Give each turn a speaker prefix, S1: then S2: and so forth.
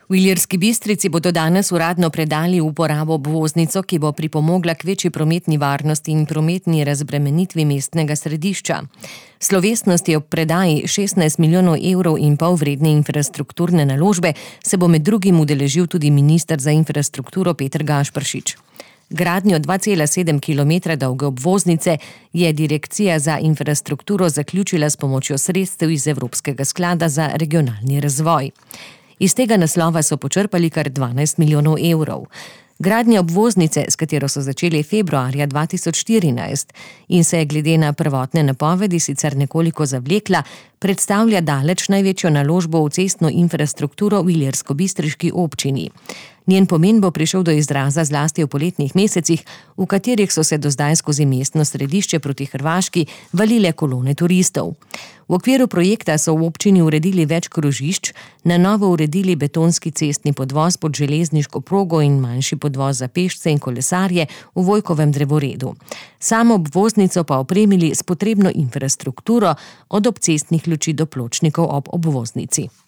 S1: V Ilirski Bistrici bodo danes uradno predali v uporabo obvoznico, ki bo pripomogla k večji prometni varnosti in prometni razbremenitvi mestnega središča. Slovesnosti ob predaji 16,5 milijonov evrov vredne infrastrukturne naložbe se bo med drugim udeležil tudi minister za infrastrukturo Peter Gašperšič. Gradnjo 2,7 km dolge obvoznice je Direkcija za infrastrukturo zaključila s pomočjo sredstev iz Evropskega sklada za regionalni razvoj. Iz tega naslova so počrpali kar 12 milijonov evrov. Gradnja obvoznice, s katero so začeli februarja 2014 in se je glede na prvotne napovedi sicer nekoliko zavlekla, predstavlja daleč največjo naložbo v cestno infrastrukturo v ilirskobistriški občini. Njen pomen bo prišel do izraza zlasti v poletnih mesecih, v katerih so se do zdaj skozi mestno središče proti Hrvaški valile kolone turistov. V okviru projekta so v občini uredili več krožišč, na novo uredili betonski cestni podvoz pod železniško progo in manjši podvoz za pešce in kolesarje v Vojkovem drevoredu. Samo obvoznico pa opremili s potrebno infrastrukturo, od obcestnih luči do pločnikov ob obvoznici.